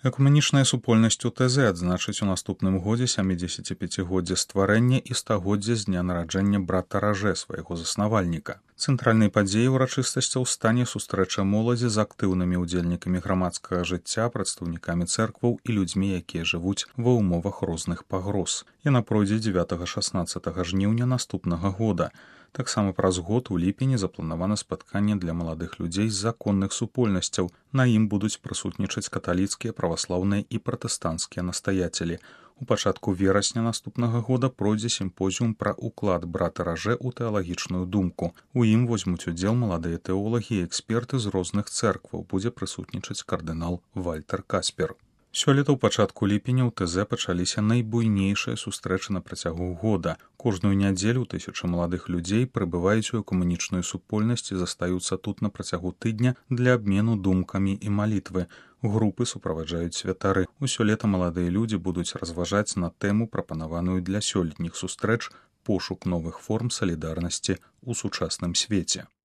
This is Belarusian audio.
Экумэнічная супольнасць УТЗ адзначыць у наступным годзе 75годдзе стварэння і 100годдзе з дня нараджэння брата Ражэ, свайго заснавальніка. Цэнтральнай падзеяй урачыстасцяў стане сустрэча моладзі з актыўнымі ўдзельнікамі грамадскага жыцця, прадстаўнікамі цэркваў і людзьмі, якія жывуць ва ўмовах розных пагроз. Яна пройдзе 9-16 жніўня наступнага года. Таксама праз год у ліпені запланавана спатканне для маладых людзей з законных супольнасцяў. На ім будуць прысутнічаць каталіцкія, праваслаўныя і пратэстанцкія настаяцелі. У пачатку верасня наступнага года пройдзе сімпозіум пра ўклад брата Ражэ ў тэалагічную думку. У ім возьмуць удзел маладыя тэолагі і эксперты з розных цэркваў. Будзе прысутнічаць кардынал Вальтер Каспер. Сёлета ў пачатку ліпеня ў ТЗ пачаліся найбуйнейшыя сустрэчы на працягу года. Кожную нядзелю тысячы маладых людзей прыбываюць у экумэнічную супольнасць і застаюцца тут на працягу тыдня для абмену думкамі і малітвы. Групы суправаджаюць святары. Усё лета маладыя людзі будуць разважаць на тэму, прапанаваную для сёлетніх сустрэч, пошук новых форм салідарнасці ў сучасным свеце.